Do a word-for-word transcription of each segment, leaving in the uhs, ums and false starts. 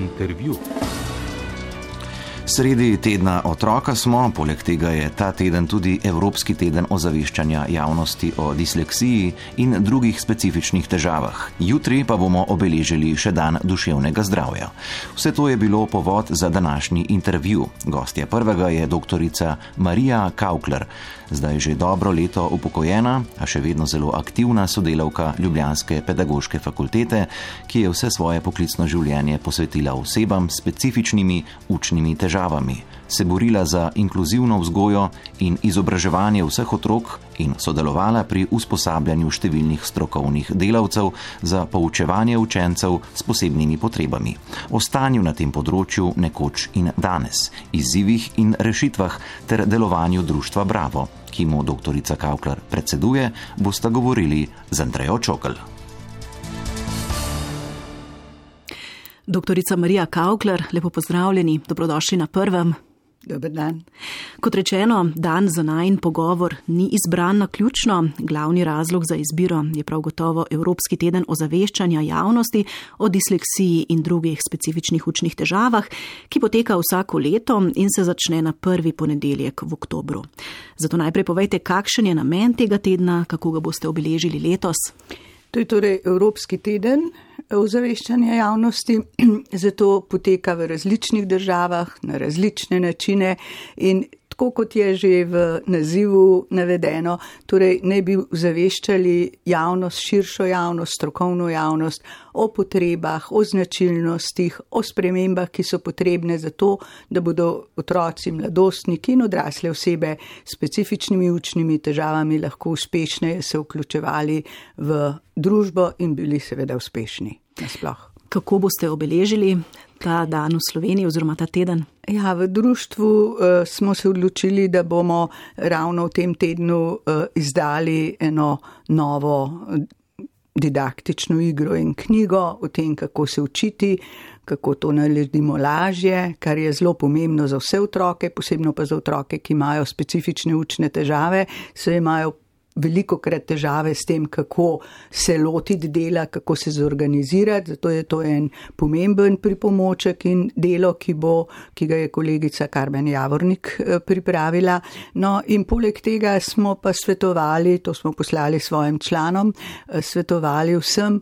intervju. Sredi tedna otroka smo, poleg tega je ta teden tudi Evropski teden ozaveščanja javnosti o disleksiji in drugih specifičnih težavah. Jutri pa bomo obeležili še dan duševnega zdravja. Vse to je bilo povod za današnji intervju. Gostja prvega je doktorica Marija Kaukler, zdaj že dobro leto upokojena, a še vedno zelo aktivna sodelavka Ljubljanske pedagoške fakultete, ki je vse svoje poklicno življenje posvetila osebam s specifičnimi učnimi težavami. Se borila za inkluzivno vzgojo in izobraževanje vseh otrok in sodelovala pri usposabljanju številnih strokovnih delavcev za poučevanje učencev s posebnimi potrebami. O stanju na tem področju nekoč in danes, izzivih in rešitvah ter delovanju društva Bravo, ki mu doktorica Kaukler predseduje, bosta govorili z Andrejo Čokl. Doktorica Marija Kaukler, lepo pozdravljeni, dobrodošli na prvem. Dober dan. Kot rečeno, dan za najin pogovor ni izbran naključno. Glavni razlog za izbiro je prav gotovo Evropski teden ozaveščanja javnosti o disleksiji in drugih specifičnih učnih težavah, ki poteka vsako leto in se začne na prvi ponedeljek v oktobru. Zato najprej povejte, kakšen je namen tega tedna, kako ga boste obeležili letos? To je torej Evropski teden ozaveščanja javnosti, zato poteka v različnih državah, na različne načine in tako kot je že v nazivu navedeno, torej ne bi ozaveščali javnost, širšo javnost, strokovno javnost o potrebah, o značilnostih, o spremembah, ki so potrebne za to, da bodo otroci, mladostniki in odrasle osebe s specifičnimi učnimi težavami lahko uspešneje se vključevali v družbo in bili seveda uspešni nasploh. Kako boste obeležili ta dan v Sloveniji oziroma ta teden? Ja, v društvu uh, smo se odločili, da bomo ravno v tem tednu uh, izdali eno novo didaktično igro in knjigo o tem, kako se učiti, kako to naredimo lažje, kar je zelo pomembno za vse otroke, posebno pa za otroke, ki imajo specifične učne težave, se imajo veliko krat težave s tem, kako se lotiti dela, kako se zorganizirati, zato je to en pomemben pripomoček in delo, ki, bo, ki ga je kolegica Karmen Javornik pripravila. No in poleg tega smo pa svetovali, to smo poslali svojim članom, svetovali vsem,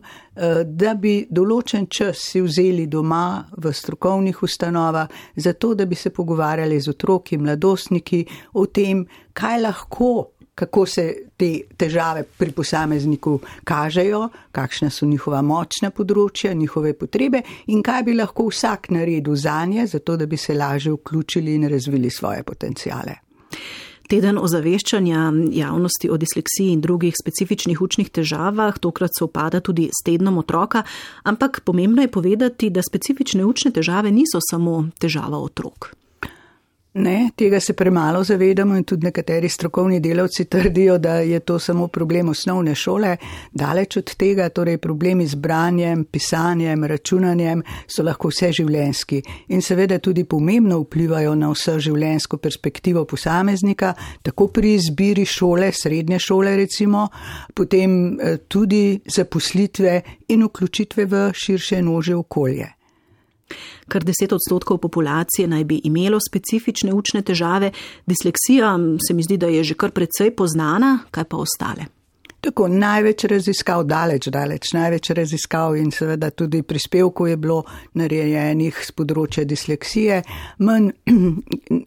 da bi določen čas si vzeli doma v strokovnih ustanovah, zato da bi se pogovarjali z otroki, mladostniki o tem, kaj lahko, kako se te težave pri posamezniku kažejo, kakšna so njihova močna področja, njihove potrebe in kaj bi lahko vsak naredil zanje, zato da bi se lažje vključili in razvili svoje potencijale. Teden ozaveščanja javnosti o disleksiji in drugih specifičnih učnih težavah tokrat sovpada tudi s tednom otroka, ampak pomembno je povedati, da specifične učne težave niso samo težava otrok. Ne, tega se premalo zavedamo in tudi nekateri strokovni delavci trdijo, da je to samo problem osnovne šole. Daleč od tega, torej problemi z branjem, pisanjem, računanjem so lahko vseživljenjski in seveda tudi pomembno vplivajo na vseživljenjsko perspektivo posameznika, tako pri izbiri šole, srednje šole recimo, potem tudi zaposlitve in vključitve v širše in ožje okolje. Kar deset odstotkov populacije naj bi imelo specifične učne težave. Disleksija se mi zdi, da je že kar precej poznana, kaj pa ostale? Tako, največ raziskav, daleč, daleč, največ raziskav in seveda tudi prispevkov je bilo narejenih z področja disleksije, manj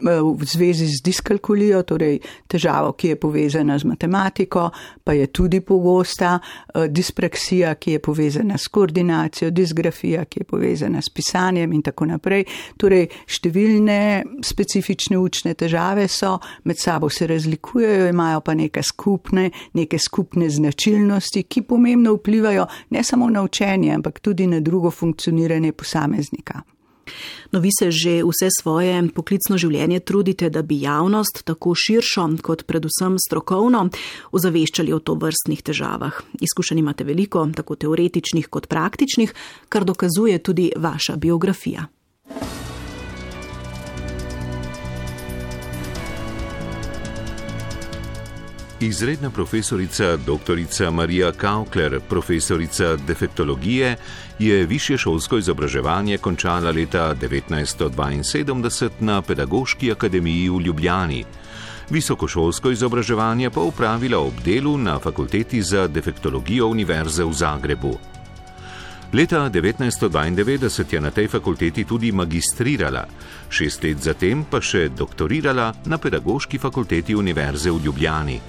v zvezi z diskalkulijo, torej težavo, ki je povezana z matematiko, pa je tudi pogosta, dispraksija, ki je povezana s koordinacijo, disgrafija, ki je povezana s pisanjem in tako naprej. Torej, številne specifične učne težave so, med sabo se razlikujejo, imajo pa neke skupne, neke skupne značilnosti, ki pomembno vplivajo ne samo na učenje, ampak tudi na drugo funkcioniranje posameznika. No, vi se že vse svoje poklicno življenje trudite, da bi javnost tako širšo kot predvsem strokovno ozaveščali o tovrstnih težavah. Izkušenj imate veliko, tako teoretičnih kot praktičnih, kar dokazuje tudi vaša biografija. Izredna profesorica doktorica Marija Kaukler, profesorica defektologije, je višješolsko izobraževanje končala leta devetnajststo dvainsedemdeset na Pedagoški akademiji v Ljubljani. Visokošolsko izobraževanje pa opravila ob delu na Fakulteti za defektologijo Univerze v Zagrebu. Leta devetnajststo dvaindevetdeset je na tej fakulteti tudi magistrirala, šest let zatem pa še doktorirala na Pedagoški fakulteti Univerze v Ljubljani.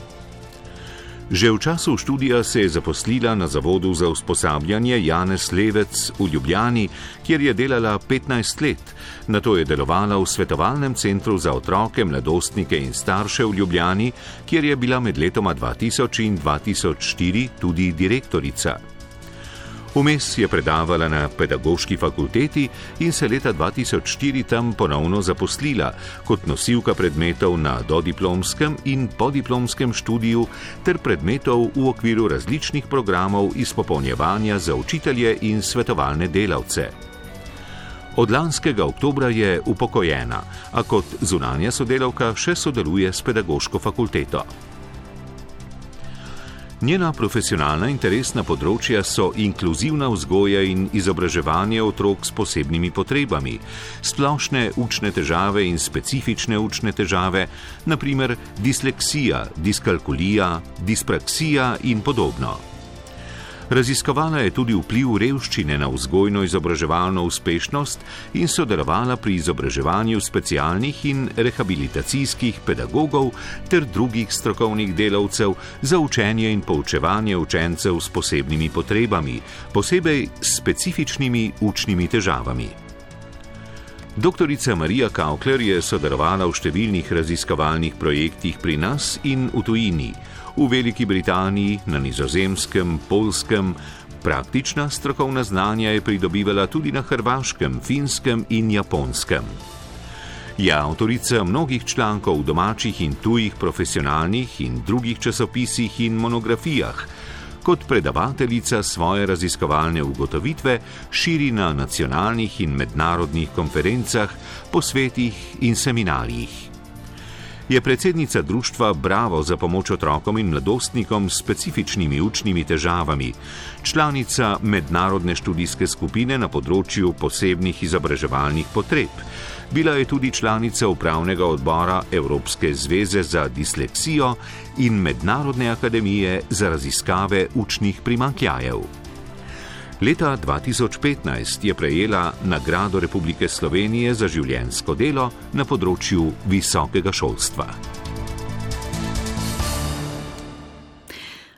Že v času študija se je zaposlila na Zavodu za usposabljanje Janez Levec v Ljubljani, kjer je delala petnajst let. Nato je delovala v svetovalnem centru za otroke, mladostnike in starše v Ljubljani, kjer je bila med letoma dva tisoč in dva tisoč štiri tudi direktorica. Vmes je predavala na Pedagoški fakulteti in se leta dva tisoč štiri tam ponovno zaposlila kot nosilka predmetov na dodiplomskem in podiplomskem študiju ter predmetov v okviru različnih programov izpopolnjevanja za učitelje in svetovalne delavce. Od lanskega oktobra je upokojena, a kot zunanja sodelavka še sodeluje s Pedagoško fakulteto. Njena profesionalna interesna področja so inkluzivna vzgoja in izobraževanje otrok s posebnimi potrebami, splošne učne težave in specifične učne težave, na primer disleksija, diskalkulija, dispraksija in podobno. Raziskovala je tudi vpliv revščine na vzgojno-izobraževalno uspešnost in sodelovala pri izobraževanju specialnih in rehabilitacijskih pedagogov ter drugih strokovnih delavcev za učenje in poučevanje učencev s posebnimi potrebami, posebej s specifičnimi učnimi težavami. Doktorica Marija Kaukler je sodelovala v številnih raziskovalnih projektih pri nas in v tujini, v Veliki Britaniji, na Nizozemskem, Poljskem. Praktična strokovna znanja je pridobivala tudi na Hrvaškem, Finskem in Japonskem. Je avtorica mnogih člankov v domačih in tujih profesionalnih in drugih časopisih in monografijah. Kot predavateljica svoje raziskovalne ugotovitve širi na nacionalnih in mednarodnih konferencah, posvetih in seminarjih. Je predsednica društva Bravo za pomoč otrokom in mladostnikom s specifičnimi učnimi težavami, članica mednarodne študijske skupine na področju posebnih izobraževalnih potreb. Bila je tudi članica upravnega odbora Evropske zveze za disleksijo in Mednarodne akademije za raziskave učnih primanjkljajev. Leta dva tisoč petnajst je prejela nagrado Republike Slovenije za življenjsko delo na področju visokega šolstva.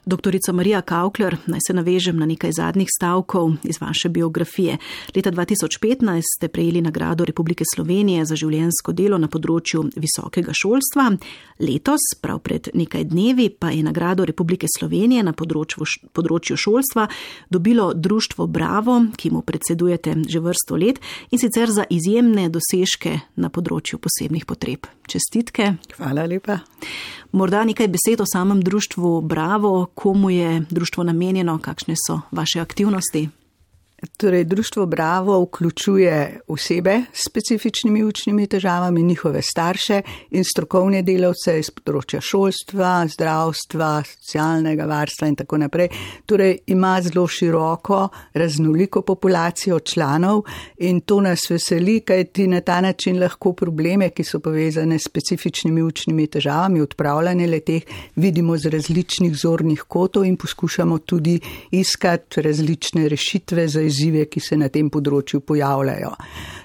Doktorica Marija Kaukler, naj se navežem na nekaj zadnjih stavkov iz vaše biografije. Leta dva tisoč petnajst ste prejeli nagrado Republike Slovenije za življenjsko delo na področju visokega šolstva. Letos, prav pred nekaj dnevi, pa je nagrado Republike Slovenije na področju, področju šolstva dobilo društvo Bravo, ki mu predsedujete že vrsto let, in sicer za izjemne dosežke na področju posebnih potreb. Čestitke. Hvala lepa. Morda nekaj besed o samem društvu Bravo, komu je društvo namenjeno, kakšne so vaše aktivnosti? Torej, društvo Bravo vključuje osebe s specifičnimi učnimi težavami, njihove starše in strokovne delavce iz področja šolstva, zdravstva, socialnega varstva in tako naprej. Torej, ima zelo široko, raznoliko populacijo članov in to nas veseli, kajti na ta način lahko probleme, ki so povezane s specifičnimi učnimi težavami, odpravljanje leteh, vidimo z različnih zornih kotov in poskušamo tudi iskati različne rešitve za izzive, ki se na tem področju pojavljajo.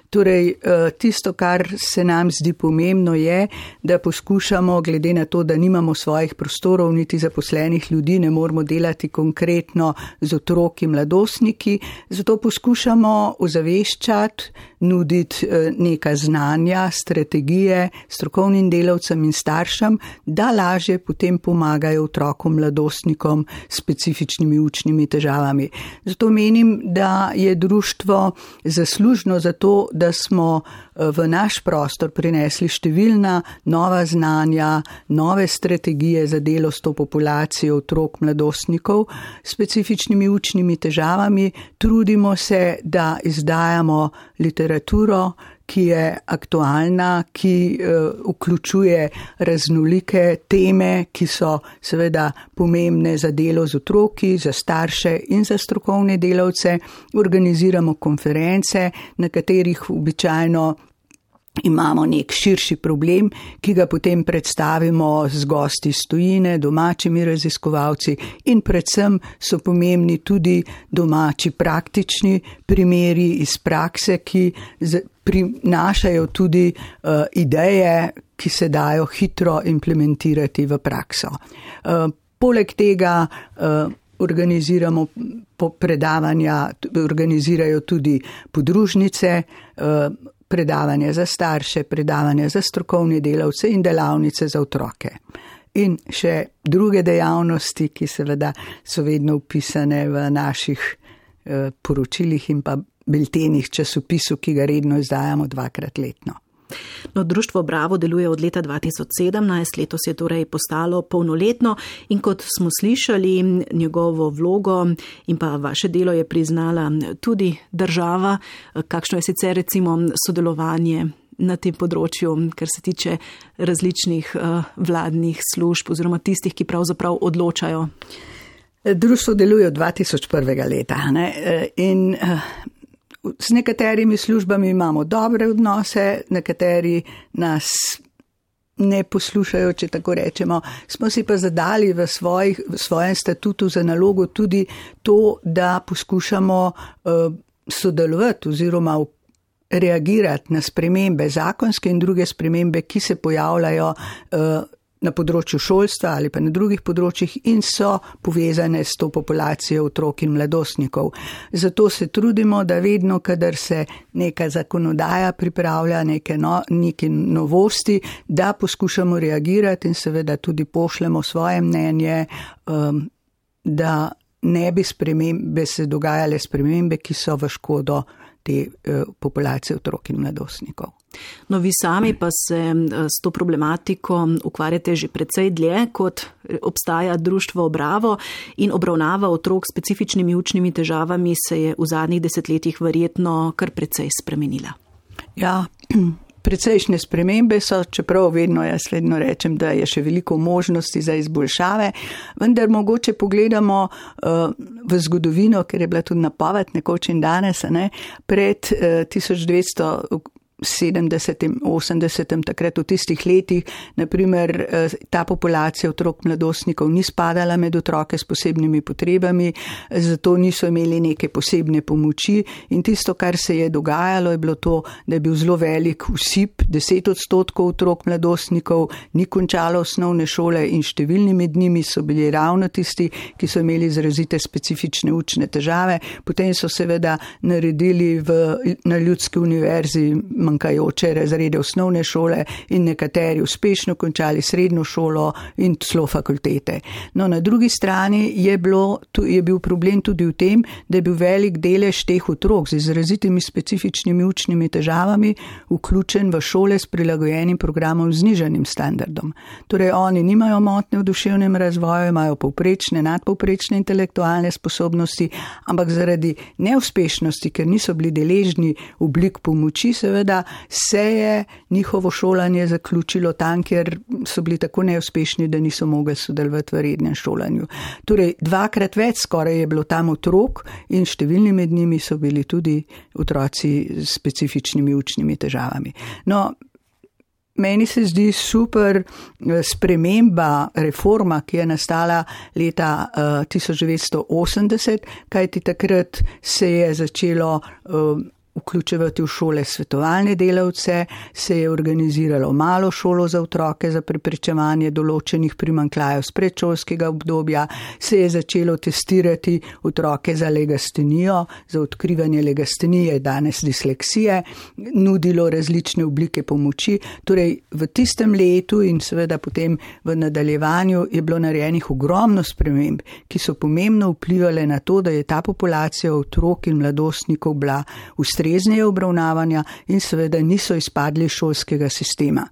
Torej, tisto, kar se nam zdi pomembno je, da poskušamo, glede na to, da nimamo svojih prostorov, niti zaposlenih ljudi, ne moramo delati konkretno z otroki, mladostniki, zato poskušamo ozaveščati, nuditi neka znanja, strategije strokovnim delavcem in staršem, da lažje potem pomagajo otrokom, mladostnikom s specifičnimi učnimi težavami. Zato menim, da je društvo zaslužno za to, da smo v naš prostor prinesli številna nova znanja, nove strategije za delo s to populacijo otrok, mladostnikov s specifičnimi učnimi težavami. Trudimo se, da izdajamo literaturo, ki je aktualna, ki uh, vključuje raznolike teme, ki so seveda pomembne za delo z otroki, za starše in za strokovne delavce. Organiziramo konference, na katerih običajno imamo nek širši problem, ki ga potem predstavimo z gosti iz tujine, domačimi raziskovalci in predvsem so pomembni tudi domači praktični primeri iz prakse, ki prinašajo tudi uh, ideje, ki se dajo hitro implementirati v prakso. Uh, poleg tega uh, organiziramo predavanja, organizirajo tudi podružnice, uh, predavanja za starše, predavanja za strokovne delavce in delavnice za otroke. In še druge dejavnosti, ki seveda so vedno upisane v naših eh, poročilih in pa biltenih časopisu, ki ga redno izdajamo dvakrat letno. No, Društvo Bravo deluje od leta dva tisoč sedemnajst, letos je torej postalo polnoletno in kot smo slišali, njegovo vlogo in pa vaše delo je priznala tudi država. Kakšno je sicer recimo sodelovanje na tem področju, kar se tiče različnih uh, vladnih služb oziroma tistih, ki pravzaprav odločajo? Društvo deluje od dva tisoč prvega leta, ne? In uh, s nekaterimi službami imamo dobre odnose, nekateri nas ne poslušajo, če tako rečemo. Smo si pa zadali v, svojih, v svojem statutu za nalogo tudi to, da poskušamo uh, sodelovati oziroma reagirati na spremembe zakonske in druge spremembe, ki se pojavljajo uh, na področju šolstva ali pa na drugih področjih in so povezane s to populacijo otrok in mladostnikov. Zato se trudimo, da vedno, kadar se neka zakonodaja pripravlja, neke, no, neke novosti, da poskušamo reagirati in seveda tudi pošljemo svoje mnenje, um, da ne bi spremembe se dogajale spremembe, ki so v škodo te uh, populacije otrok in mladostnikov. No, vi sami pa se s to problematiko ukvarjate že precej dlje, kot obstaja Društvo Bravo in obravnava otrok s specifičnimi učnimi težavami se je v zadnjih desetletjih verjetno kar precej spremenila. Ja, precejšnje spremembe so, čeprav vedno jaz vedno rečem, da je še veliko možnosti za izboljšave, vendar mogoče pogledamo uh, v zgodovino, ker je bila tudi napoved nekoč in danes, ne, pred uh, tisoč devetsto sedemdesetim, osemdesetim, takrat v tistih letih, naprimer, ta populacija otrok mladostnikov ni spadala med otroke s posebnimi potrebami, zato niso imeli neke posebne pomoči in tisto, kar se je dogajalo, je bilo to, da je bil zelo velik usip, deset odstotkov otrok mladostnikov ni končalo osnovne šole in številni med njimi so bili ravno tisti, ki so imeli izrazite specifične učne težave. Potem so seveda naredili v, na Ljudski univerzi manjkajoče razrede osnovne šole in nekateri uspešno končali srednjo šolo in celo fakultete. No, na drugi strani je, bilo, je bil problem tudi v tem, da je bil velik delež teh otrok z izrazitimi specifičnimi učnimi težavami vključen v šole s prilagojenim programom z znižanim standardom. Torej, oni nimajo motnje v duševnem razvoju, imajo povprečne, nadpovprečne intelektualne sposobnosti, ampak zaradi neuspešnosti, ker niso bili deležni oblik pomoči, seveda se je njihovo šolanje zaključilo tam, ker so bili tako neuspešni, da niso mogli sodelovati v rednem šolanju. Torej, dvakrat več skoraj je bilo tam otrok in številni med njimi so bili tudi otroci s specifičnimi učnimi težavami. No, meni se zdi super sprememba, reforma, ki je nastala leta uh, tisoč devetsto osemdeset, kajti takrat se je začelo uh, vključevati v šole svetovalne delavce, se je organiziralo malo šolo za otroke za preprečevanje določenih primanjkljajev z predšolskega obdobja, se je začelo testirati otroke za legastenijo, za odkrivanje legastenije, danes disleksije, nudilo različne oblike pomoči. Torej, v tistem letu in seveda potem v nadaljevanju je bilo narejenih ogromno sprememb, ki so pomembno vplivali na to, da je ta populacija otrok in mladostnikov bila ustrezneje obravnavanja in seveda niso izpadli šolskega sistema.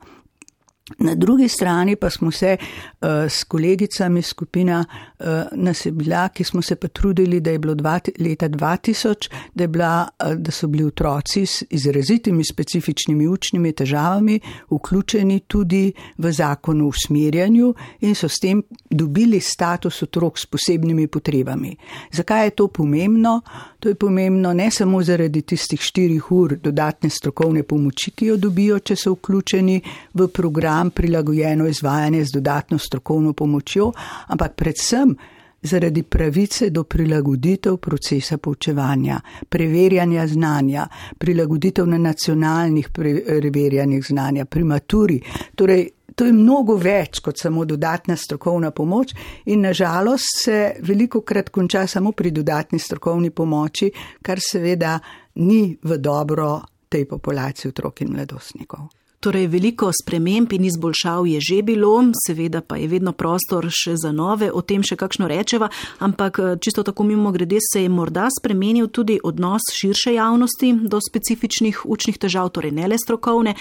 Na drugi strani pa smo se uh, s kolegicami, skupina uh, nas je bila, ki smo se pa trudili, da je bilo dva, leta dva tisoč, da, je bila, uh, da so bili otroci s izrazitimi specifičnimi učnimi težavami vključeni tudi v zakon o usmerjanju in so s tem dobili status otrok s posebnimi potrebami. Zakaj je to pomembno? To je pomembno ne samo zaradi tistih štirih ur dodatne strokovne pomoči, ki jo dobijo, če so vključeni v program prilagojeno izvajanje z dodatno strokovno pomočjo, ampak predvsem zaradi pravice do prilagoditev procesa poučevanja, preverjanja znanja, prilagoditev na nacionalnih preverjanjih znanja, pri maturi. Torej, to je mnogo več kot samo dodatna strokovna pomoč in nažalost se veliko krat konča samo pri dodatni strokovni pomoči, kar seveda ni v dobro tej populaciji otrok in mladostnikov. Torej, veliko sprememb in izboljšav je že bilo, seveda pa je vedno prostor še za nove, o tem še kakšno rečeva, ampak čisto tako mimo grede se je morda spremenil tudi odnos širše javnosti do specifičnih učnih težav, torej ne le strokovne.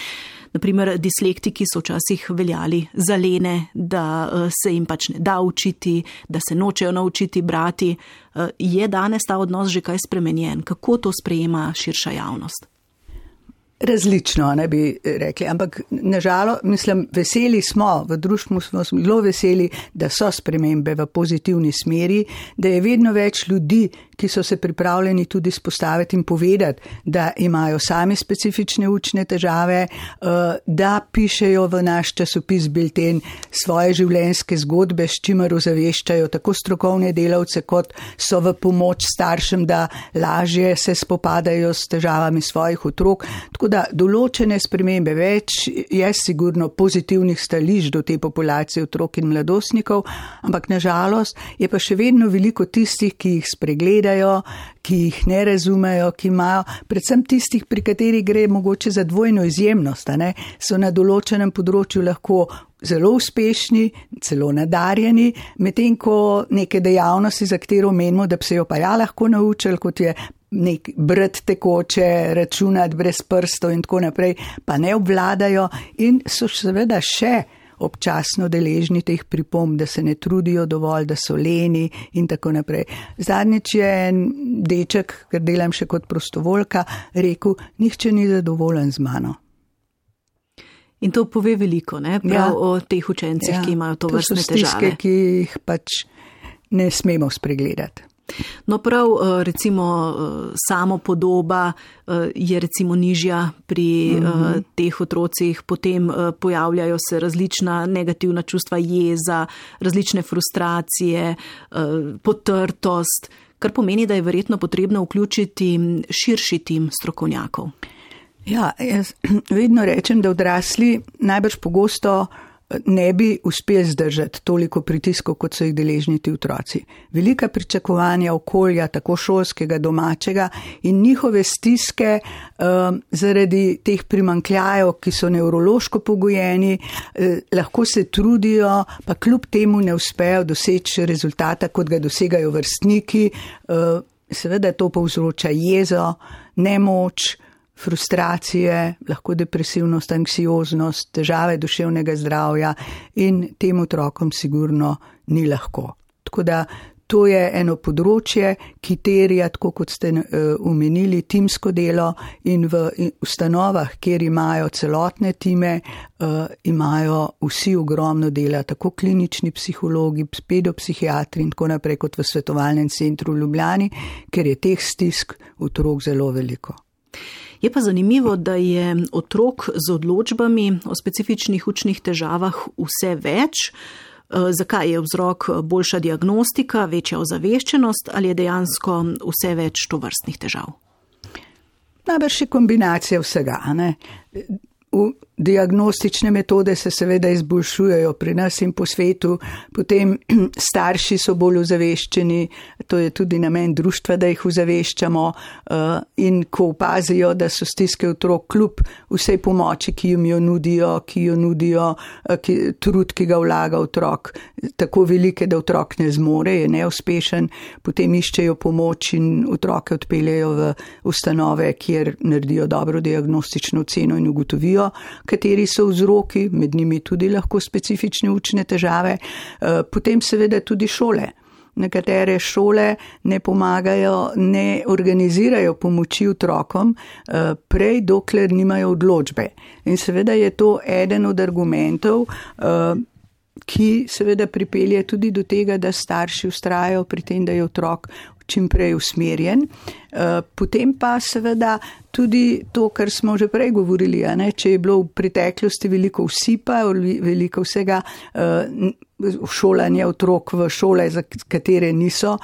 Naprimer, dislektiki so včasih veljali za lene, da se jim pač ne da učiti, da se nočejo naučiti brati. Je danes ta odnos že kaj spremenjen? Kako to sprejema širša javnost? Različno, ne bi rekli, ampak nažalost, mislim, veseli smo, v društvu smo zelo veseli, da so spremembe v pozitivni smeri, da je vedno več ljudi, ki so se pripravljeni tudi spostaviti in povedati, da imajo sami specifične učne težave, da pišejo v naš časopis Bilten svoje življenjske zgodbe, s čimer ozaveščajo tako strokovne delavce, kot so v pomoč staršem, da lažje se spopadajo s težavami svojih otrok. Tako da določene spremembe več je sigurno pozitivnih stališč do te populacije otrok in mladostnikov, ampak nažalost je pa še vedno veliko tistih, ki jih spregledajo, ki jih ne razumejo, ki imajo predvsem tistih, pri katerih gre mogoče za dvojno izjemnost, ne? So na določenem področju lahko zelo uspešni, celo nadarjeni, medtem ko neke dejavnosti, za katero menimo, da bi se jo pa ja lahko naučili, kot je nek brati tekoče, računati brez prstov in tako naprej, pa ne obvladajo in so seveda še občasno deležni teh pripomb, da se ne trudijo dovolj, da so leni in tako naprej. Zadnjič je en deček, ker delam še kot prostovoljka, rekel, nihče ni zadovoljen z mano. In to pove veliko, ne? Prav ja. O teh učencih, ja. Ki imajo to vrstne težave. To so stiske, ki jih pač ne smemo spregledati. No prav, recimo, samo podoba je recimo nižja pri mm-hmm. teh otrocih, potem pojavljajo se različna negativna čustva, jeza, različne frustracije, potrtost, kar pomeni, da je verjetno potrebno vključiti širši tim strokovnjakov. Ja, jaz vedno rečem, da odrasli najbrž pogosto ne bi uspeli zdržati toliko pritiskov, kot so jih deležni ti otroci. Velika pričakovanja okolja, tako šolskega, domačega in njihove stiske um, zaradi teh primanjkljajev, ki so nevrološko pogojeni, eh, lahko se trudijo, pa kljub temu ne uspejo doseči rezultata, kot ga dosegajo vrstniki. Eh, seveda to povzroča jezo, nemoč, frustracije, lahko depresivnost, anksioznost, težave duševnega zdravja in tem otrokom sigurno ni lahko. Tako da to je eno področje, ki terja, tako kot ste omenili, uh, timsko delo in v ustanovah, kjer imajo celotne time, uh, imajo vsi ogromno dela, tako klinični psihologi, pedopsihiatri in tako naprej, kot v svetovalnem centru v Ljubljani, ker je teh stisk otrok zelo veliko. Je pa zanimivo, da je otrok z odločbami o specifičnih učnih težavah vse več. Zakaj je vzrok boljša diagnostika, večja ozaveščenost ali je dejansko vse več tovrstnih težav? Najbrž je kombinacija vsega, ne? V diagnostične metode se seveda izboljšujejo pri nas in po svetu, potem starši so bolj ozaveščeni, to je tudi namen društva, da jih ozaveščamo in ko opazijo, da so stiske otrok kljub vsej pomoči, ki jim jo nudijo, ki jo nudijo, ki, trud, ki ga vlaga otrok, tako velike, da otrok ne zmore, je neuspešen, potem iščejo pomoč in otroke odpeljejo v ustanove, kjer naredijo dobro diagnostično oceno in ugotovijo, kateri so vzroki, med njimi tudi lahko specifične učne težave, potem seveda tudi šole. Nekatere šole ne pomagajo, ne organizirajo pomoči otrokom, prej dokler nimajo odločbe. In seveda je to eden od argumentov, ki seveda pripelje tudi do tega, da starši vztrajajo pri tem, da je otrok čim prej usmerjen. Potem pa seveda tudi to, kar smo že prej govorili, a ne, če je bilo v preteklosti veliko vsipa, veliko vsega šolanja otrok v šole, za katere niso,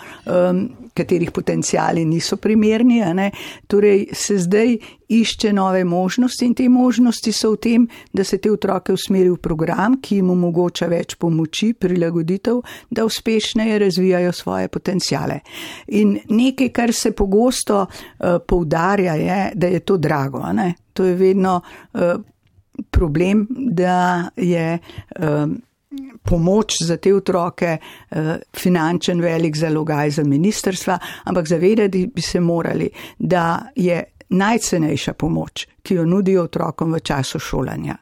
katerih potencijali niso primerni, a ne, torej se zdaj išče nove možnosti in te možnosti so v tem, da se te otroke usmeri v program, ki jim omogoča več pomoči, prilagoditev, da uspešneje razvijajo svoje potencijale. In nekaj, kar se pogosto uh, poudarja, je, da je to drago. Ne? To je vedno uh, problem, da je uh, pomoč za te otroke uh, finančen velik zalogaj za ministrstva, ampak zavedati bi se morali, da je najcenejša pomoč, ki jo nudijo otrokom v času šolanja.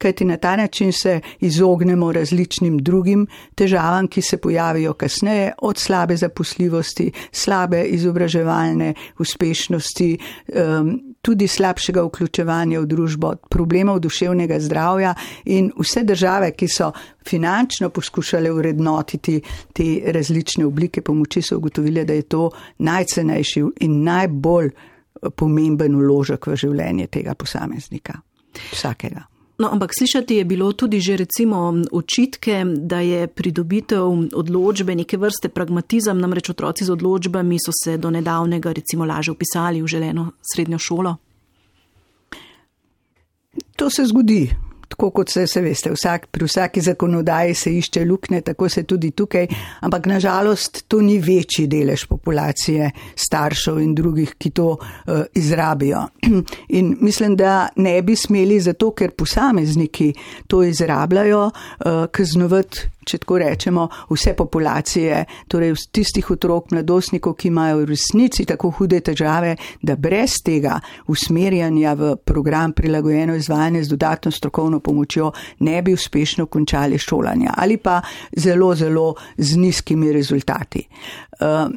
Kajti na ta način se izognemo različnim drugim težavam, ki se pojavijo kasneje, od slabe zaposljivosti, slabe izobraževalne uspešnosti, tudi slabšega vključevanja v družbo, problemov duševnega zdravja in vse države, ki so finančno poskušale vrednotiti te različne oblike pomoči, so ugotovile, da je to najcenejši in najbolj pomemben vložek v življenje tega posameznika, vsakega. No, ampak slišati je bilo tudi že recimo očitke, da je pridobitev odločbe neke vrste pragmatizem, namreč otroci z odločbami so se do nedavnega recimo lažje vpisali v želeno srednjo šolo. To se zgodi. Tako kot se, se veste, vsak, pri vsaki zakonodaji se išče luknje, tako se tudi tukaj, ampak nažalost to ni večji delež populacije staršev in drugih, ki to uh, izrabijo. In mislim, da ne bi smeli zato, ker posamezniki to izrabljajo, uh, kaznovati, če tako rečemo, vse populacije, torej tistih otrok, mladostnikov, ki imajo v resnici tako hude težave, da brez tega usmerjanja v program prilagojeno izvajanje z dodatno strokovno pomočjo ne bi uspešno končali šolanja ali pa zelo, zelo z nizkimi rezultati. Uh,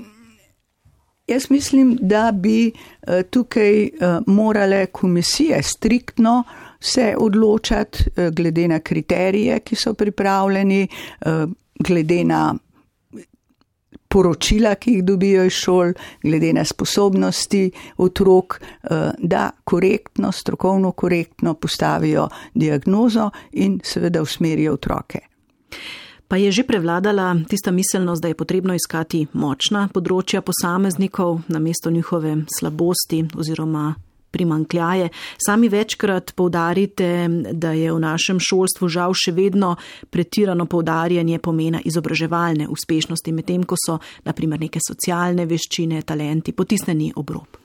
jaz mislim, da bi uh, tukaj uh, morale komisije striktno se odločati uh, glede na kriterije, ki so pripravljeni, uh, glede na poročila, ki jih dobijo iz šol, glede na sposobnosti otrok, da korektno, strokovno korektno postavijo diagnozo in seveda usmerijo otroke. Pa je že prevladala tista miselnost, da je potrebno iskati močna področja posameznikov namesto njihove slabosti oziroma primanjkljaje. Sami večkrat poudarite, da je v našem šolstvu žal še vedno pretirano poudarjanje pomena izobraževalne uspešnosti, medtem ko so na primer neke socialne veščine, talenti potisnjeni ob rob.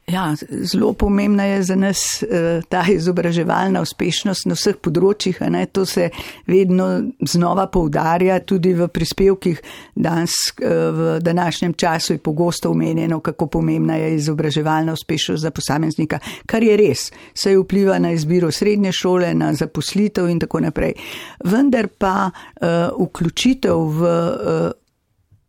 Ja, zelo pomembna je za nas ta izobraževalna uspešnost na vseh področjih, a ne, to se vedno znova poudarja, tudi v prispevkih danes, v današnjem času je pogosto omenjeno, kako pomembna je izobraževalna uspešnost za posameznika, kar je res, saj vpliva na izbiro srednje šole, na zaposlitev in tako naprej. Vendar pa uh, vključitev v uh,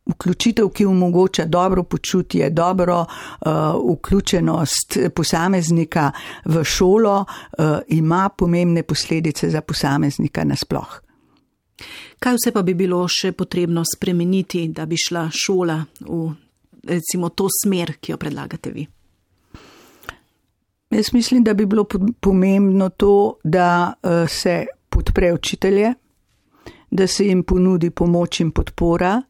Vključitev, ki omogoča dobro počutje, dobro uh, vključenost posameznika v šolo, uh, ima pomembne posledice za posameznika nasploh. Kaj vse pa bi bilo še potrebno spremeniti, da bi šla šola v recimo to smer, ki jo predlagate vi? Jaz mislim, da bi bilo pomembno to, da uh, se podpre učitelje, da se jim ponudi pomoč in podpora,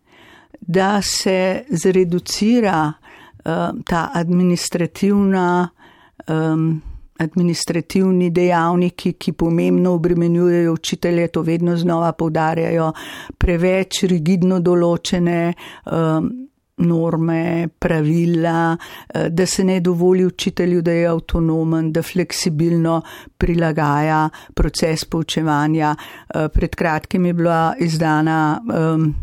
da se zreducira uh, ta administrativna, um, administrativni dejavniki, ki pomembno obremenjujejo učitelje, to vedno znova poudarjajo, preveč rigidno določene um, norme, pravila, da se ne dovoli učitelju, da je avtonomen, da fleksibilno prilagaja proces poučevanja. Pred kratkim je bila izdana um,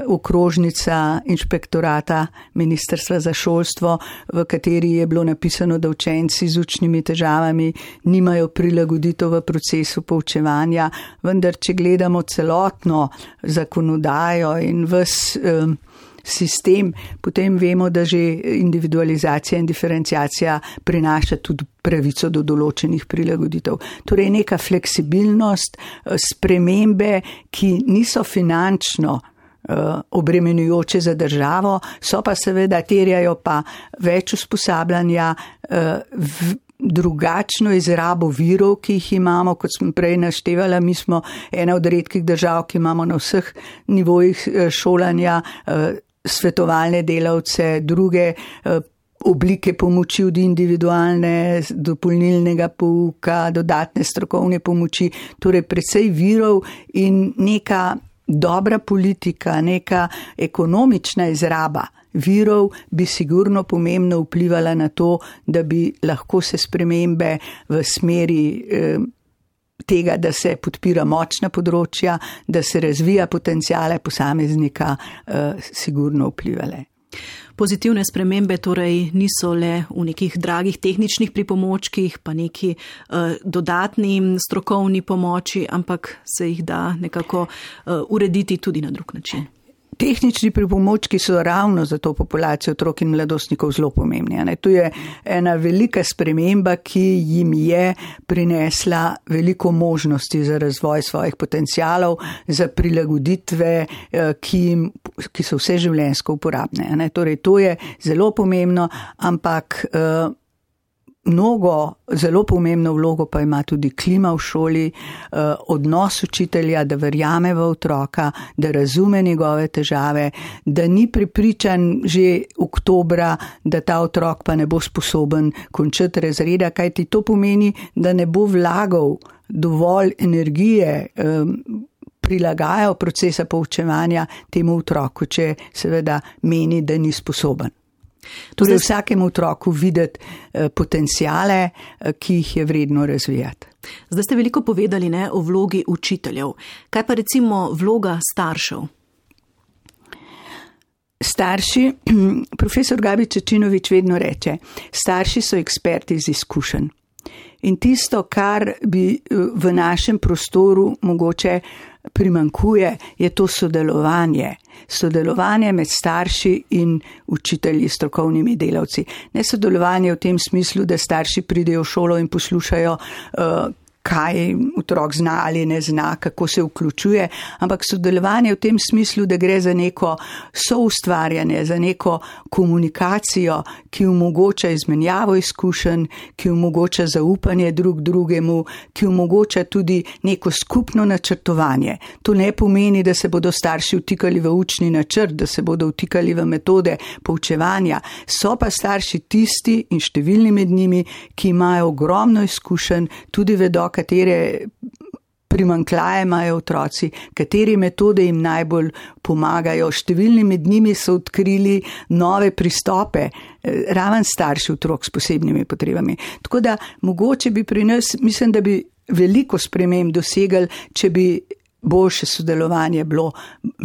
okrožnica inšpektorata Ministrstva za šolstvo, v kateri je bilo napisano, da učenci z učnimi težavami nimajo prilagoditev v procesu poučevanja, vendar če gledamo celotno zakonodajo in ves um, sistem, potem vemo, da že individualizacija in diferenciacija prinaša tudi pravico do določenih prilagoditev. Torej neka fleksibilnost, spremembe, ki niso finančno obremenjujoče za državo, so pa seveda terjajo pa več usposabljanja, drugačno izrabo virov, ki jih imamo, kot sem prej naštevala, mi smo ena od redkih držav, ki imamo na vseh nivojih šolanja svetovalne delavce, druge oblike pomoči od individualne, dopolnilnega pouka, dodatne strokovne pomoči, torej precej virov in neka dobra politika, neka ekonomična izraba virov bi sigurno pomembno vplivala na to, da bi lahko se spremembe v smeri eh, tega, da se podpira močna področja, da se razvija potencijale posameznika, eh, sigurno vplivale. Pozitivne spremembe torej niso le v nekih dragih tehničnih pripomočkih, pa neki uh, dodatni strokovni pomoči, ampak se jih da nekako uh, urediti tudi na drug način. Tehnični pripomočki so ravno za to populacijo otrok in mladostnikov zelo pomembni. Ne? To je ena velika sprememba, ki jim je prinesla veliko možnosti za razvoj svojih potencialov, za prilagoditve, ki, jim, ki so vse življenjsko uporabne. Ne? Torej, to je zelo pomembno, ampak mnogo, zelo pomembno vlogo pa ima tudi klima v šoli, odnos učitelja, da verjame v otroka, da razume njegove težave, da ni prepričan že oktobra, da ta otrok pa ne bo sposoben končati razreda, kajti to pomeni, da ne bo vlagal dovolj energije, prilagajal procesa poučevanja temu otroku, če seveda meni, da ni sposoben. Torej vsakemu otroku videti potencijale, ki jih je vredno razvijati. Zdaj ste veliko povedali ne, o vlogi učiteljev. Kaj pa recimo vloga staršev? Starši, profesor Gabi Čečinovič vedno reče, starši so eksperti iz izkušenj. In tisto, kar bi v našem prostoru mogoče primankuje, je to sodelovanje. Sodelovanje med starši in učitelji, strokovnimi delavci. Ne sodelovanje v tem smislu, da starši pridejo v šolo in poslušajo, uh, kaj otrok zna ali ne zna, kako se vključuje, ampak sodelovanje v tem smislu, da gre za neko soustvarjanje, za neko komunikacijo, ki omogoča izmenjavo izkušenj, ki omogoča zaupanje drug drugemu, ki omogoča tudi neko skupno načrtovanje. To ne pomeni, da se bodo starši vtikali v učni načrt, da se bodo vtikali v metode poučevanja. So pa starši tisti in številni med njimi, ki imajo ogromno izkušenj, tudi vedo, katere primanjkljaje imajo otroci, katere metode jim najbolj pomagajo. Številni med njimi so odkrili nove pristope, raven starši otrok s posebnimi potrebami. Tako da mogoče bi pri nas, mislim, da bi veliko sprememb dosegali, če bi boljše sodelovanje bilo,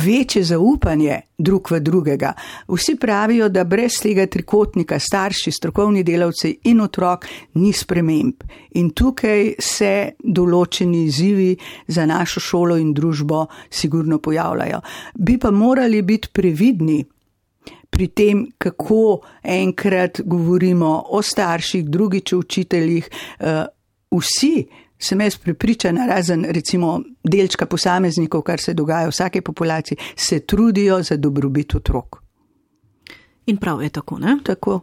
večje zaupanje drug v drugega. Vsi pravijo, da brez tega trikotnika starši, strokovni delavci in otrok ni sprememb. In tukaj se določeni izzivi za našo šolo in družbo sigurno pojavljajo. Bi pa morali biti previdni pri tem, kako enkrat govorimo o starših, drugič o učiteljih, vsi sem jaz prepričana, razen recimo delčka posameznikov, kar se dogaja v vsake populaciji, se trudijo za dobrobit otrok. In prav je tako, ne? Tako.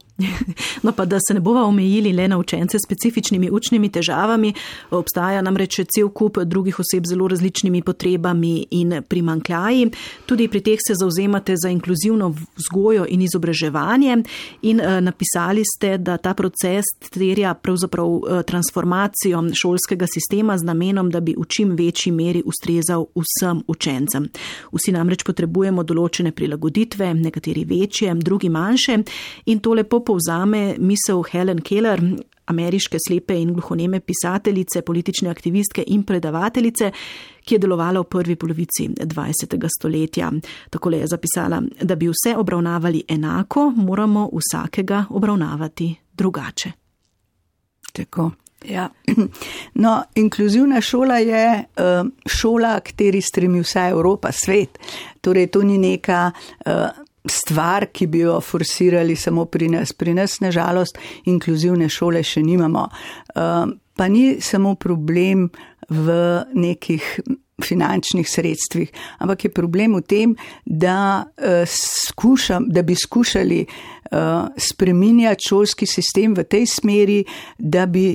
No pa, da se ne bova omejili le na učence s specifičnimi učnimi težavami, obstaja namreč cel kup drugih oseb z zelo različnimi potrebami in primanjkljaji. Tudi pri teh se zauzemate za inkluzivno vzgojo in izobraževanje in uh, napisali ste, da ta proces terja pravzaprav uh, transformacijo šolskega sistema z namenom, da bi v čim večji meri ustrezal vsem učencem. Vsi namreč potrebujemo določene prilagoditve, nekateri večje, drugi manjše, in to lepo povzame misel Helen Keller. ameriške slepe in gluhoneme pisateljice, politične aktivistke in predavateljice, ki je delovala v prvi polovici dvajsetega stoletja. Takole je zapisala: da bi vse obravnavali enako, moramo vsakega obravnavati drugače. Tako. Ja. No, inkluzivna šola je uh, šola, kateri stremi vsa Evropa, svet. Torej, to ni neka uh, stvar, ki bi jo forsirali samo pri nas. Pri nas, nažalost, inkluzivne šole še nimamo. Uh, pa ni samo problem v nekih finančnih sredstvih, ampak je problem v tem, da, uh, skušam, da bi skušali uh, spreminjati šolski sistem v tej smeri, da bi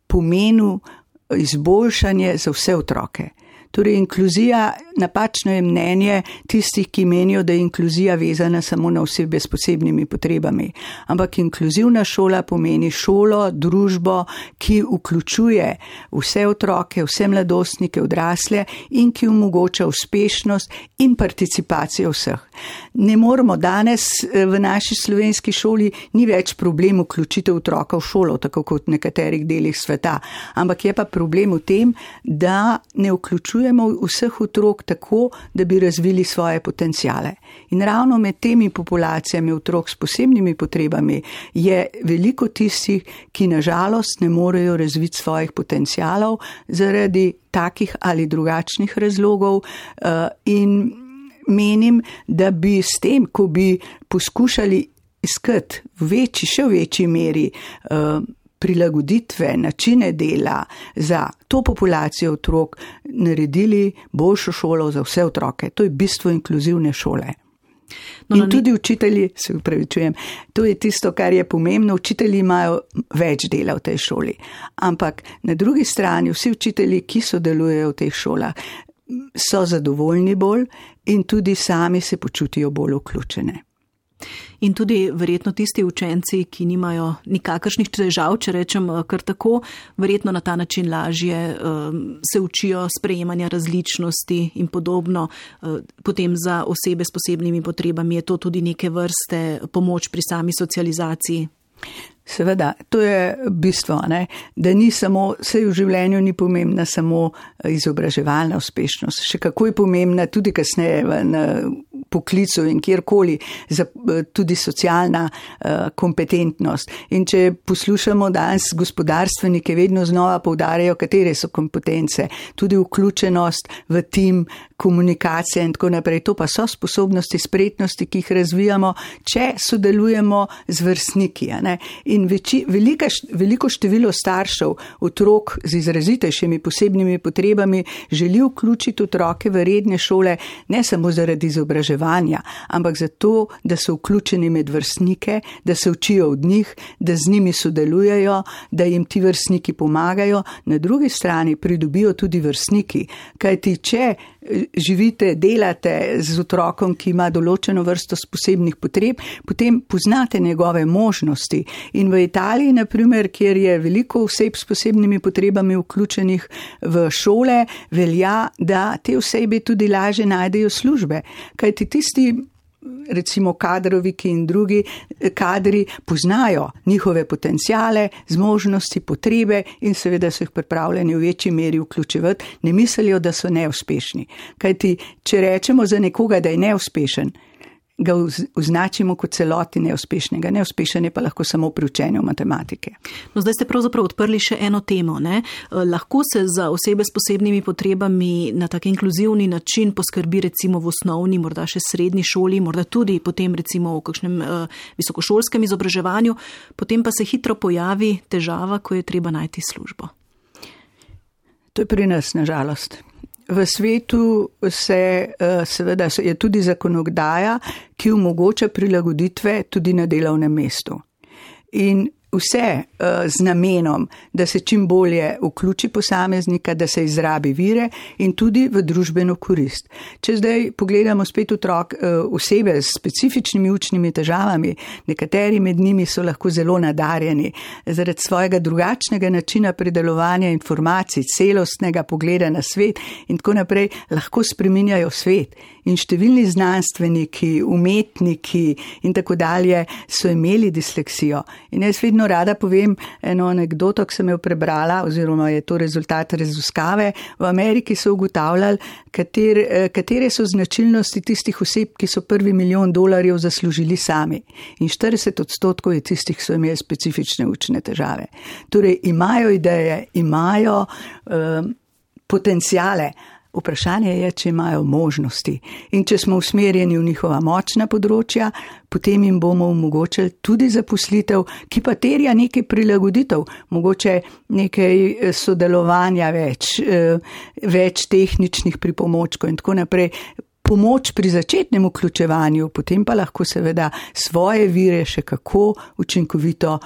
pomenil izboljšanje za vse otroke. Torej, inkluzija, napačno je mnenje tistih, ki menijo, da je inkluzija vezana samo na osebe s posebnimi potrebami. Ampak inkluzivna šola pomeni šolo, družbo, ki vključuje vse otroke, vse mladostnike, odrasle in ki omogoča uspešnost in participacijo vseh. Ne moramo danes v naši slovenski šoli, ni več problem vključitev otroka v šolo, tako kot v nekaterih delih sveta, ampak je pa problem v tem, da ne vključuje vseh otrok tako, da bi razvili svoje potencijale. In ravno med temi populacijami otrok s posebnimi potrebami je veliko tistih, ki nažalost ne morejo razviti svojih potencijalov zaradi takih ali drugačnih razlogov in menim, da bi s tem, ko bi poskušali iskati v večji, še v večji meri prilagoditve, načine dela za to populacijo otrok, naredili boljšo šolo za vse otroke. To je bistvo inkluzivne šole. No, in tudi učitelji, se upravičujem, to je tisto, kar je pomembno, učitelji imajo več dela v tej šoli. Ampak na drugi strani vsi učitelji, ki sodelujejo v teh šolah, so zadovoljni bolj in tudi sami se počutijo bolj vključene. In tudi verjetno tisti učenci, ki nimajo nikakršnih težav, če rečem kar tako, verjetno na ta način lažje um, se učijo sprejemanja različnosti in podobno. Uh, potem za osebe s posebnimi potrebami je to tudi neke vrste pomoč pri sami socializaciji. Seveda, to je bistvo, ne? Da ni samo, vse v življenju ni pomembna samo izobraževalna uspešnost, še kako je pomembna tudi kasneje v poklicu in kjerkoli, tudi socialna kompetentnost. In če poslušamo danes gospodarstvenike, vedno znova poudarjajo, katere so kompetence, tudi vključenost v tim, komunikacija in tako naprej. To pa so sposobnosti, spretnosti, ki jih razvijamo, če sodelujemo z vrstniki. Ne? In veči, velika, veliko število staršev, otrok z izrazitejšimi posebnimi potrebami želi vključiti otroke v redne šole, ne samo zaradi izobraževanja, ampak zato, da so vključeni med vrstnike, da se učijo od njih, da z njimi sodelujejo, da jim ti vrstniki pomagajo, na drugi strani pridobijo tudi vrstniki. Kajti, če živite, delate z otrokom, ki ima določeno vrsto posebnih potreb, potem poznate njegove možnosti. In v Italiji, na primer, kjer je veliko oseb s posebnimi potrebami vključenih v šole, velja, da te osebe tudi lažje najdejo službe. Kajti tisti, recimo kadroviki in drugi kadri poznajo njihove potencijale, zmožnosti, potrebe in seveda so jih pripravljeni v večji meri vključevati, ne mislijo, da so neuspešni. Kajti, če rečemo za nekoga, da je neuspešen, ga označimo kot celoti neuspešnega. Neuspešen je pa lahko samo pri učenju matematike. No, zdaj ste pravzaprav odprli še eno temo. Ne? Lahko se za osebe s posebnimi potrebami na tak inkluzivni način poskrbi recimo v osnovni, morda še srednji šoli, morda tudi potem recimo v kakšnem uh, visokošolskem izobraževanju, potem pa se hitro pojavi težava, ko je treba najti službo. To je pri nas, nažalost. V svetu se, seveda, je tudi zakonodaja, ki omogoča prilagoditve tudi na delovnem mestu. In vse z namenom, da se čim bolje vključi posameznika, da se izrabi vire in tudi v družbeno korist. Če zdaj pogledamo spet otrok, osebe s specifičnimi učnimi težavami, nekateri med njimi so lahko zelo nadarjeni zaradi svojega drugačnega načina predelovanja informacij, celostnega pogleda na svet in tako naprej, lahko spreminjajo svet. In številni znanstveniki, umetniki in tako dalje so imeli disleksijo. In jaz vedno vedno rada povem eno anekdoto, ki sem jo prebrala, oziroma je to rezultat raziskave. V Ameriki so ugotavljali, katere, katere so značilnosti tistih oseb, ki so prvi milijon dolarjev zaslužili sami. In štirideset odstotkov je tistih, ki so imeli specifične učne težave. Torej imajo ideje, imajo um, potencijale. Vprašanje je, če imajo možnosti. In če smo usmerjeni v njihova močna področja, potem jim bomo omogočili tudi zaposlitev, ki pa terja nekaj prilagoditev, mogoče nekaj sodelovanja več, več tehničnih pripomočkov in tako naprej. Pomoč pri začetnem vključevanju, potem pa lahko seveda svoje vire še kako učinkovito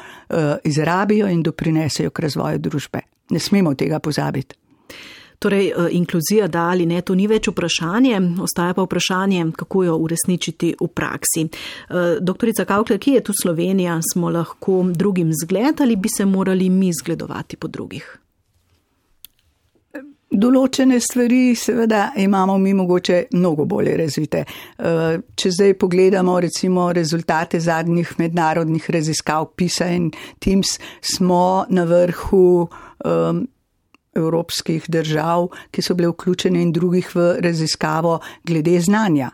izrabijo in doprinesejo k razvoju družbe. Ne smemo tega pozabiti. Torej, inkluzija da ali ne, to ni več vprašanje, ostaja pa vprašanje, kako jo uresničiti v praksi. Doktorica Kaukler, kje je tu Slovenija, smo lahko drugim zgled ali bi se morali mi zgledovati po drugih? Določene stvari seveda imamo mi mogoče mnogo bolje razvite. Če zdaj pogledamo recimo rezultate zadnjih mednarodnih raziskav PISA in TIMSS, smo na vrhu um, evropskih držav, ki so bile vključene in drugih v raziskavo glede znanja.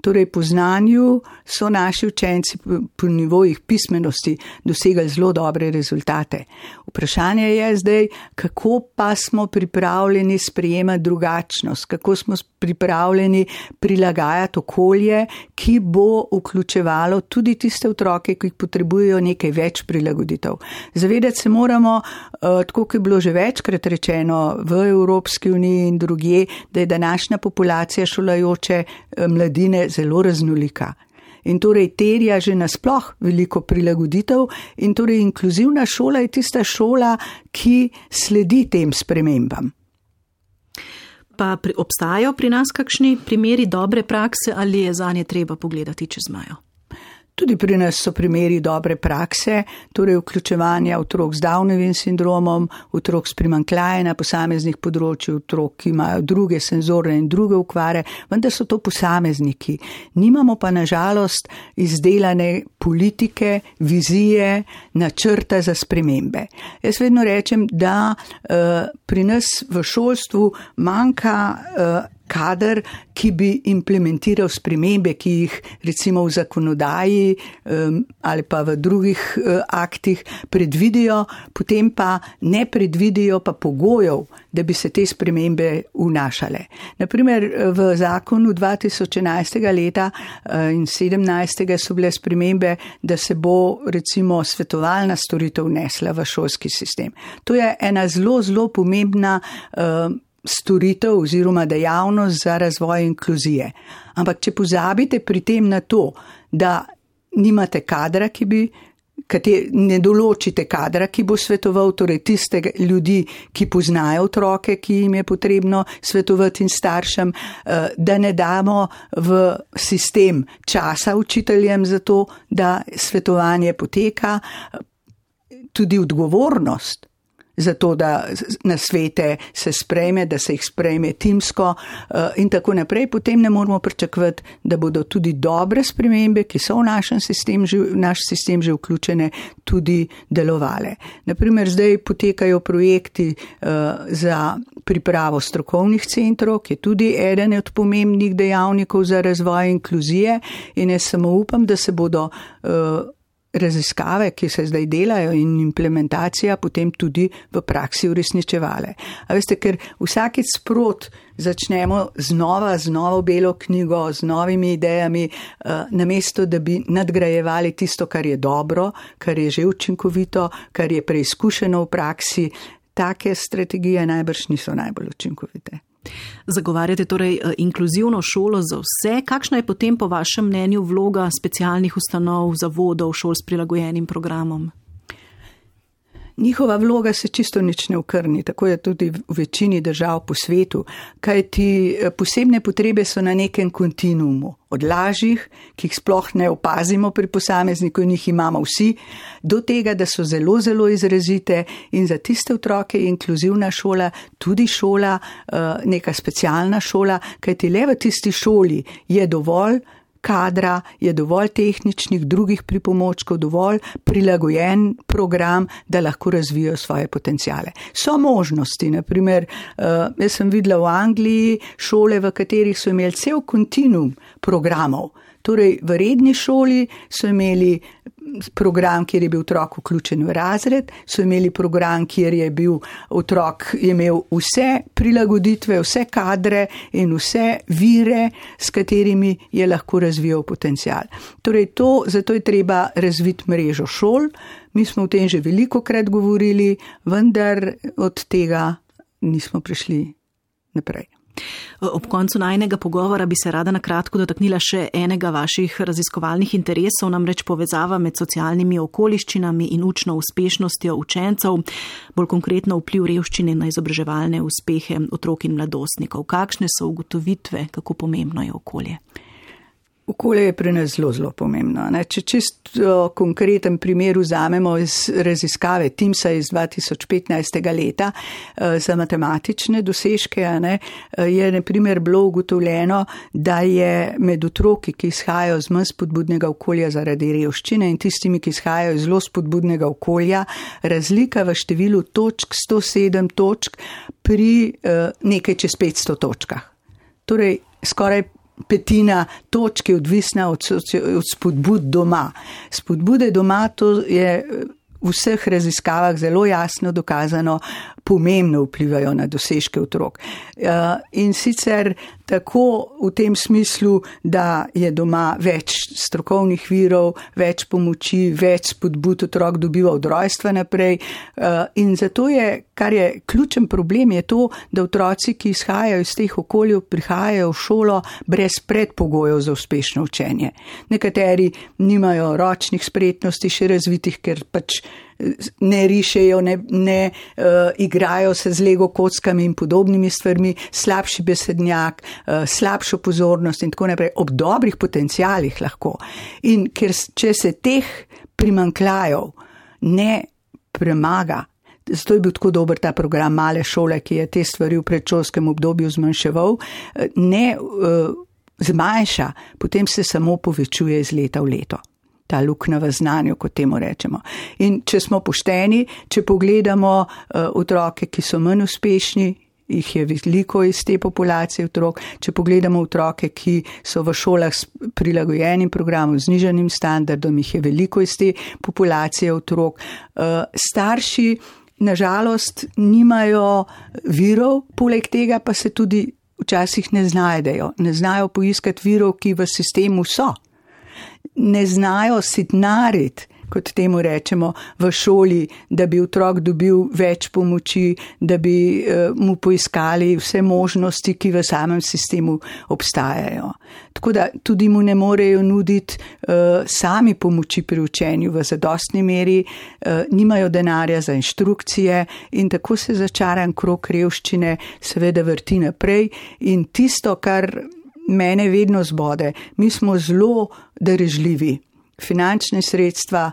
Torej po znanju so naši učenci po nivojih pismenosti dosegali zelo dobre rezultate. Vprašanje je zdaj, kako pa smo pripravljeni sprejemati drugačnost, kako smo pripravljeni prilagajati okolje, ki bo vključevalo tudi tiste otroke, ki potrebujejo nekaj več prilagoditev. Zavedati se moramo, tako kot je bilo že večkrat rečeno v Evropski uniji in drugje, da je današnja populacija šolajoče mladine zelo raznolika. In torej terja že nasploh veliko prilagoditev in torej inkluzivna šola je tista šola, ki sledi tem spremembam. Pa pri, obstajajo pri nas kakšni primeri dobre prakse ali je zanje treba pogledati čez mejo? Tudi pri nas so primeri dobre prakse, torej vključevanja otrok z Downovim sindromom, otrok s primanjkljajem na posameznih področjih, otrok, ki imajo druge senzorne in druge okvare, vendar so to posamezniki. Nimamo pa nažalost izdelane politike, vizije, načrta za spremembe. Jaz vedno rečem, da uh, pri nas v šolstvu manjka uh, kader, ki bi implementiral spremembe, ki jih recimo v zakonodaji um, ali pa v drugih uh, aktih predvidijo, potem pa ne predvidijo pa pogojev, da bi se te spremembe vnašale. Naprimer, v zakonu dva tisoč enajstega leta uh, in sedemnajstega so bile spremembe, da se bo recimo svetovalna storitev vnesla v šolski sistem. To je ena zelo, zelo pomembna uh, storitev oziroma dejavnost za razvoj inkluzije. Ampak če pozabite pri tem na to, da nimate kadra, ki bi, kater, ne določite kadra, ki bo svetoval, torej tiste ljudi, ki poznajo otroke, ki jim je potrebno svetovati in staršem, da ne damo v sistem časa učiteljem za to, da svetovanje poteka, tudi odgovornost za to, da na svete se sprejme, da se jih sprejme timsko in tako naprej, potem ne moramo pričakovati, da bodo tudi dobre spremembe, ki so v našem sistem, v naš sistem že vključene, tudi delovale. Naprimer, zdaj potekajo projekti za pripravo strokovnih centrov, ki je tudi eden od pomembnih dejavnikov za razvoj inkluzije in jaz samo upam, da se bodo raziskave, ki se zdaj delajo in implementacija potem tudi v praksi uresničevale. A veste, ker vsakeč sprot začnemo znova, z novo belo knjigo, z novimi idejami, namesto da bi nadgrajevali tisto, kar je dobro, kar je že učinkovito, kar je preizkušeno v praksi, take strategije najbrž niso najbolj učinkovite. Zagovarjate torej inkluzivno šolo za vse. Kakšna je potem po vašem mnenju vloga specialnih ustanov, zavodov, šol s prilagojenim programom? Njihova vloga se čisto nič ne okrni, tako je tudi v večini držav po svetu, kajti posebne potrebe so na nekem kontinuumu, od lažjih, ki jih sploh ne opazimo pri posamezniku in jih imamo vsi, do tega, da so zelo, zelo izrazite in za tiste otroke je inkluzivna šola tudi šola, neka specialna šola, kajti le v tisti šoli je dovolj kadra, je dovolj tehničnih, drugih pripomočkov, dovolj prilagojen program, da lahko razvijajo svoje potencijale. So možnosti, naprimer, jaz sem videla v Angliji šole, v katerih so imeli cel kontinuum programov. Torej, v redni šoli so imeli program, kjer je bil otrok vključen v razred, so imeli program, kjer je bil otrok imel vse prilagoditve, vse kadre in vse vire, s katerimi je lahko razvijal potencial. Torej, to, zato je treba razviti mrežo šol. Mi smo o tem že veliko krat govorili, vendar od tega nismo prišli naprej. Ob koncu najnega pogovora bi se rada na kratko dotaknila še enega vaših raziskovalnih interesov, namreč povezava med socialnimi okoliščinami in učno uspešnostjo učencev, bolj konkretno vpliv revščine na izobraževalne uspehe otrok in mladostnikov. Kakšne so ugotovitve, kako pomembno je okolje? Okolje je pri nas zelo, zelo pomembno. Ne? Če čisto konkreten primer vzamemo iz raziskave Timsa iz dva tisoč petnajstega leta za matematične dosežke, ne, je na primer bilo ugotovljeno, da je med otroki, ki izhajajo z manj spodbudnega okolja zaradi revščine in tistimi, ki izhajajo iz zelo spodbudnega okolja, razlika v številu točk sto sedem točk pri nekaj čez petsto točkah. Torej, skoraj petina točk je odvisna od, od spodbud doma. Spodbude doma, to je v vseh raziskavah zelo jasno dokazano, pomembno vplivajo na dosežke otrok. In sicer tako v tem smislu, da je doma več strokovnih virov, več pomoči, več spodbud otrok dobiva od rojstva naprej. In zato je, kar je ključen problem, je to, da otroci, ki izhajajo iz teh okoljev, prihajajo v šolo brez predpogojev za uspešno učenje. Nekateri nimajo ročnih spretnosti še razvitih, ker pač ne rišejo, ne, ne uh, igrajo se z lego kockami in podobnimi stvarmi, slabši besednjak, uh, slabšo pozornost in tako naprej, ob dobrih potencialih lahko. In ker če se teh primanjkljajev ne premaga, zato je bil tako dober ta program Male šole, ki je te stvari v predšolskem obdobju zmanjševal, ne uh, zmanjša, potem se samo povečuje iz leta v leto. Ta luknja v znanju, kot temu rečemo. In če smo pošteni, če pogledamo uh, otroke, ki so manj uspešni, jih je veliko iz te populacije otrok, če pogledamo otroke, ki so v šolah s prilagojenim programom, z nižanim standardom, jih je veliko iz te populacije otrok. Uh, starši, nažalost, nimajo virov, poleg tega pa se tudi včasih ne znajdejo. Ne znajo poiskati virov, ki v sistemu so. Ne znajo sitnariti, kot temu rečemo, v šoli, da bi otrok dobil več pomoči, da bi uh, mu poiskali vse možnosti, ki v samem sistemu obstajajo. Tako da tudi mu ne morejo nuditi uh, sami pomoči pri učenju v zadostni meri, uh, nimajo denarja za inštrukcije in tako se začaran krog revščine seveda vrti naprej in tisto, kar mene vedno zbode, mi smo zelo darežljivi. Finančne sredstva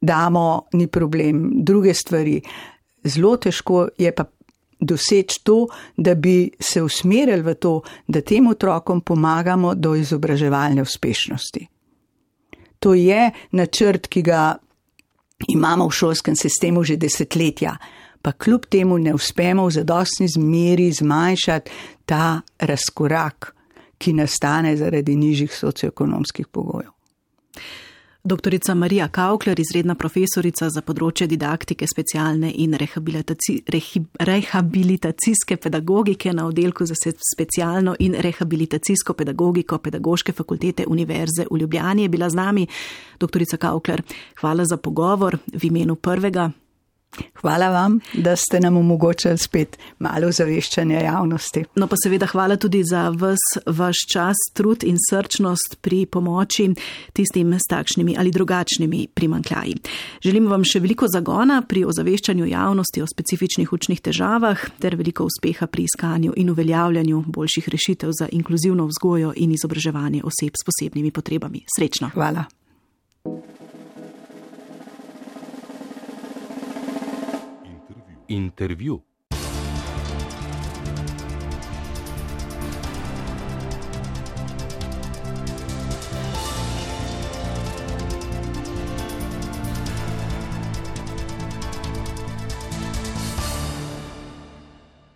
damo, ni problem, druge stvari. Zelo težko je pa doseči to, da bi se usmerili v to, da tem otrokom pomagamo do izobraževalne uspešnosti. To je načrt, ki ga imamo v šolskem sistemu že desetletja, pa kljub temu ne uspemo v zadostni zmeri zmanjšati ta razkorak, ki nastane zaradi nižjih socioekonomskih pogojev. Doktorica Marija Kaukler, izredna profesorica za področje didaktike, specialne in rehabilitaci, rehi, rehabilitacijske pedagogike na oddelku za specialno in rehabilitacijsko pedagogiko Pedagoške fakultete Univerze v Ljubljani, je bila z nami. Doktorica Kaukler, hvala za pogovor v imenu prvega. Hvala vam, da ste nam omogočili spet malo zaveščanja javnosti. No pa seveda hvala tudi za vas, vaš čas, trud in srčnost pri pomoči tistim s takšnimi ali drugačnimi primanjkljaji. Želim vam še veliko zagona pri ozaveščanju javnosti o specifičnih učnih težavah ter veliko uspeha pri iskanju in uveljavljanju boljših rešitev za inkluzivno vzgojo in izobraževanje oseb s posebnimi potrebami. Srečno. Hvala. Intervju.